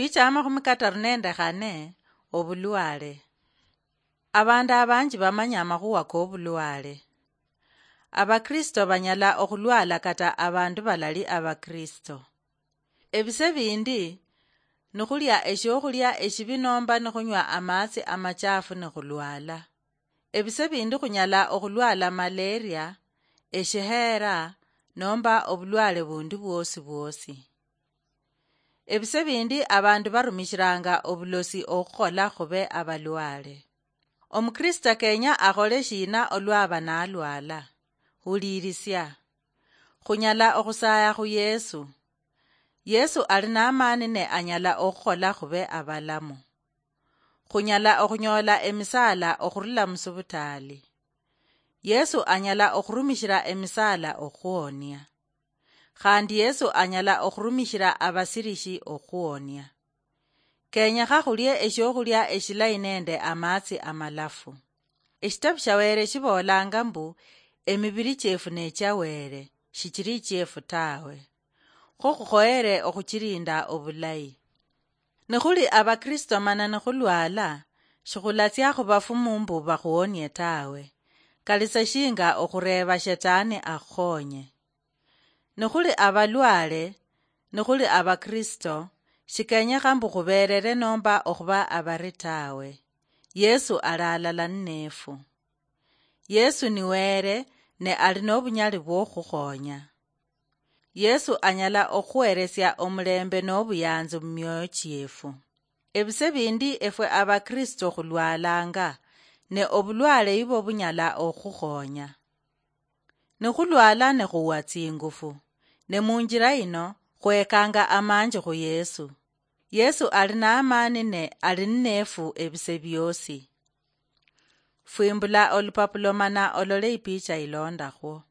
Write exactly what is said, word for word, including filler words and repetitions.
Picha amakhumi kataru nende khane. Obulwale. Abandu abanji bamanya amakhuwa kobulwale. Abakristo banyala okhulwala kata abandu balali Abakristo. Ebise bindi, nikhulya eshiokhulia eshibi nomba nikhunywa amatsi amachafu nikhulwala. Ebise bindi khunyala okhulwala malaria, eshiheera, nomba obulwale bundi bwosi bwosi. Ebise bindi abandu barumishiranga obulosi okhukhola khube abalwale. Omukristo kenya akhole shina olwaba nalwala? Hulirisia. Khunyala okhusaya khu Yesu. Yesu ali namani ne anyala okhukhola khube abalamu. Khunyala okhunyola emisaala okhurula musubitaali. Yesu anyala okhurumishira emisaala okhuonia. Khandi Yesu anyala okhurumishira abasirishi okhuonia. Kenyekha khulie eshiokhulia eshilayi nende amatsi amalafu. Eshitabu sha Wele shibolanga mbu, emibiri chiefu nechia Wele, shichiri chiefu tawe. Kho khukhoyere okhuchilinda obulayi. Nikhuli Abakristo mana nikhulwala, shikhulatsia khubafumu mbu bakhuonie tawe. Kali sa shinga okhureeba Shetani akhukhonye. Nikhuli abalwale, nikhuli Abakristo, shikenyekha mbu khuberere nomba okhuba abari tawe. Yesu ali alala nnefu. Yesu ni Wele, ne ali nobunyali bwokhukhonya. Yesu anyala okhuheresia omulembe nobuyanzi mumioyo chiefu. Ebise bindi efwe Abakristo khulwalanga, ne obulwale ibo bunyala okhukhonya. Nikhulwala nikhuwa tsingufu, ne munjira ino khwekanga amanji khu Yesu. Yesu ali namani ne ali nnefu ebise biosi. Fwimbula olupapulo mana olole ipicha ilondakhwo.